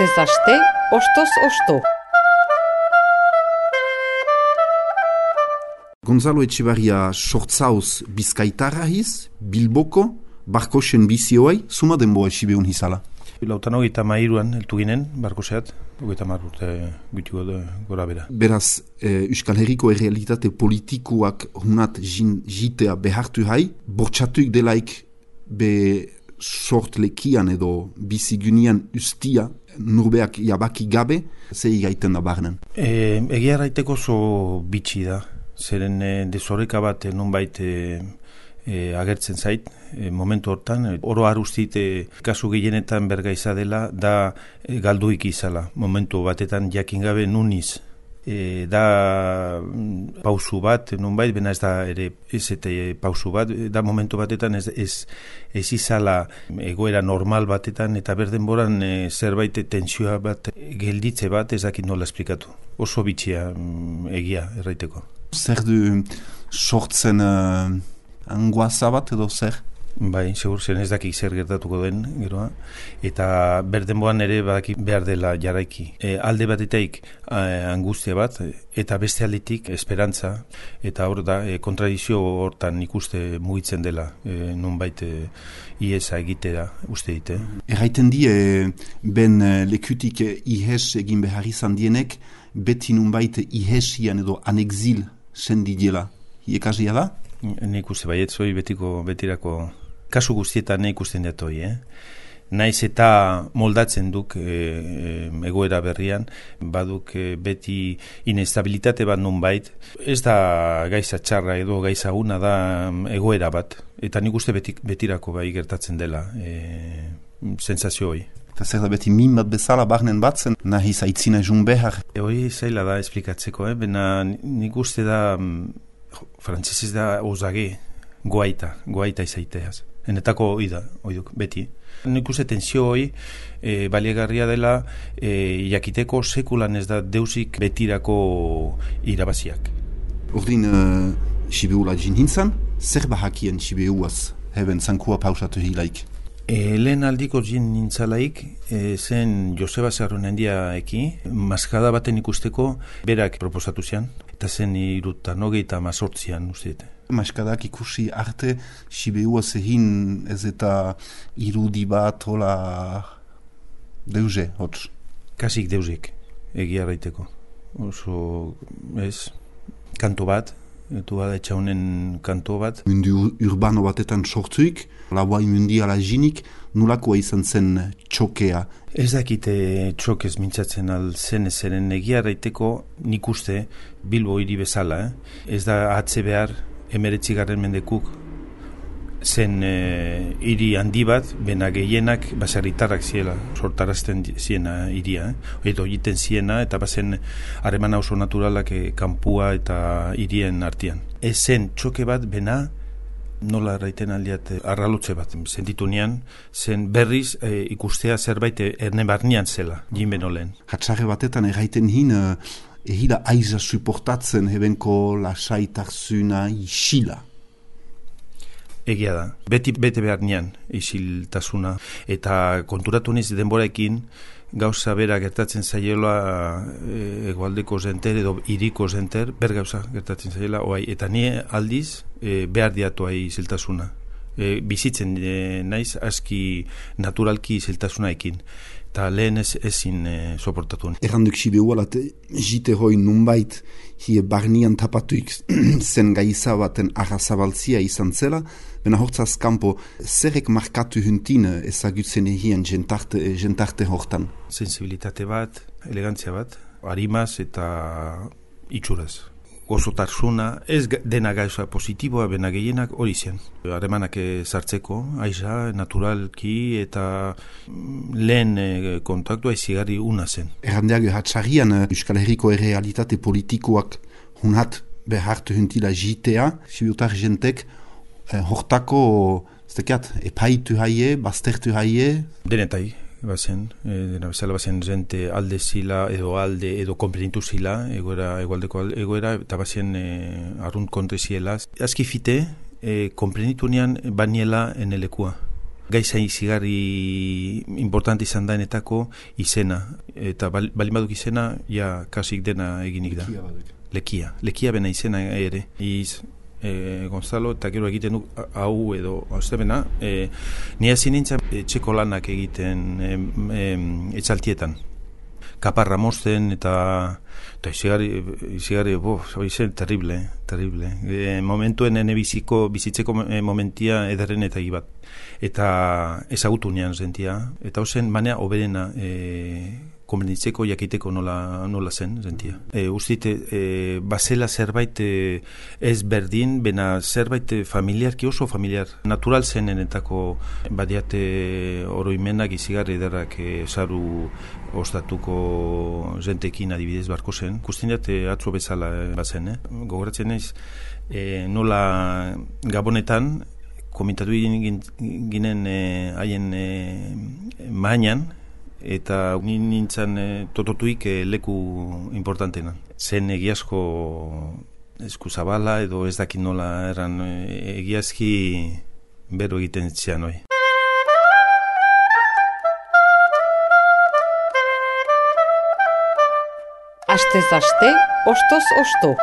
Astez aste, ostoz osto. Gonzalo Etxebarria sortzauz bizkaitarra hiz, Bilboko, Barkosen bizioai, zuma denboa esibeun hizala. Lautan hogeita mairuan eltu ginen, Barkoseat, hogeita marrute gutiko gora bera. Beraz, Euskal Herriko errealitate politikoak hunat jitea behartu hai, bortxatuik delaik be sort lekian edo bizigunian ustia nurbeak jabaki gabe, zei gaiten da barnen. Egia raiteko oso bitxi da, zeren desoreka bat nonbait agertzen zait, momentu hortan, oro arustit kasu gehienetan bergaiza dela, da galduik izala, momentu batetan jakin gabe nuniz. Da pausu bat, nonbait, bena ez da ere ez pausu bat, da momentu batetan ez izala egoera normal batetan, eta berdenboran zerbait tensioa bat, gelditze bat, ez dakit nola esplikatu. Oso bitxia egia erraiteko. Zer du sortzen angoaza bat edo zer? Bai, segur zen ez dakik zer gertatuko den, geroa, eta berdenboan ere badaki behar dela jaraiki. Alde batetaik angustia bat, eta beste aldetik esperantza, eta hor da, kontradizio hortan ikuste mugitzen dela, nonbait iesa egitera uste dite. Erraiten di, ben lekutik ihes egin behar izan dienek, beti nonbait ihesian edo anexil sendi diela. Iekasia da? Nik uste baietzoi betirako kasu guztietan ikusten datoi, Naiz eta moldatzen duk egoera berrian, baduk beti inestabilitate bat nonbait, ez da gaiza txarra edo gaiza una da egoera bat, eta nik uste betirako bai gertatzen dela sensazio hori. Eta zer da beti min bat bezala barnen batzen, nahi zaitzina jun behar. Hori zaila da esplikatzeko, bena nik uste da, frantzesez da ozage, goaita izaiteaz. Enetako oiduk, beti. Nik uste tensio hori baliagarria dela jakiteko sekulan ez da deusik betirako irabaziak. Ordin, Sibeula jinhintzan, zer bahakien Sibeuaz, heben zankua pausatu hilaik? Lehen aldiko nintzalaik, zen Joseba Zarronendia maskada baten ikusteko berak proposatu zian, eta zen 1918an usteet. Maskadak ikusi arte, Sibeua zehin ez eta irudi bat, hola, deuze, hotz? Kasik deuzek, egia raiteko. Oso, ez, kanto bat, etu bada etxaunen kanto bat. Mundu urbano batetan sortuik, lauai mundiala jinik, nolakoa izan zen txokea? Ez dakite txokez mintzatzen alzen ezeren egia raiteko nik uste Bilbo hiri bezala, Ez da atze behar 19. mendekuk zen hiri handi bat, bena gehienak baserritarrak ziela, sortarazten ziena hiria, edo egiten ziena, eta bazen harreman oso naturalak kanpua eta hirien artean. Ez zen txoke bat, bena nola erraiten aldiat arralotze bat, sentitu nian, zen berriz ikustea zerbait erne barnean zela, jinben olen. Hatsarre batetan erraiten hin, ehila aiza suportatzen hebenko lasaitarzuna isila. Egia da, bete behar nian isiltasuna, eta konturatu niz denboraekin gauza bera gertatzen zaiola egualdeko zenter edo iriko zenter, ber gauza gertatzen zaiola, eta ni aldiz behar diatu isiltasuna. Bizitzen naiz aski naturalki isiltasunaekin, eta lehen ezin soportatu. Erranduk Sibeualat jite hoi nunbait hie barnian tapatuik zen gaiza baten arrazabaltzia izan zela, bena hortzaz kanpo zerek markatu huntin ezagutzen egien jentarte hortan? Sensibilitate bat, elegantzia bat, harimaz eta itxuraz. Gozotarsuna, ez dena gauza positiboa, bena gehienak hori zen. Harremanak sartzeko, aiza, naturalki, eta lehen kontaktua izigarri una zen. Errandeak hatxarrian Euskal Herriko errealitate politikoak hunat behartu huntila jitea, Sibiutar jentek hortako, epaitu haie, baztertu haie? Denetai. Bazen, dena bezala bazen jente alde zila edo komplenitu zila egualdeko egoera eta bazen arrunt kontre ziela. Azki fite komplenitu nian baniela enelekua. Gaiza izigarri importante izan daenetako izena. Eta balin baduk izena, ja kasik dena eginik da. Lekia bena izena ere. Gonzalo, eta gero egiten du hau edo aztebena, ni hasi nintzen etxeko lanak egiten etxaltietan. Kaparra mozten eta izigarri, izen terrible. Momentuen ene bizitzeko momentia ederren eta bat. Eta ezagutu nean zentia. Eta hozen manea oberena konbenitzeko jakiteko nola zen zentia. Ustite, bazela zerbait ez berdin, bena zerbait familiarki oso familiar. Natural zenenetako badiate oroimenak izigarri ederrak saru ostatuko zentekin adibidez barko zen. Kustinat atzo bezala bazen, gogoratzen naiz, nola Gabonetan komentatu ginen haien mainan, eta nintzen tototuik leku importantena. Zen egiazko eskuzabala edo ez dakit nola eran egiazki bero egiten zian hoi. Astez aste, ostoz osto.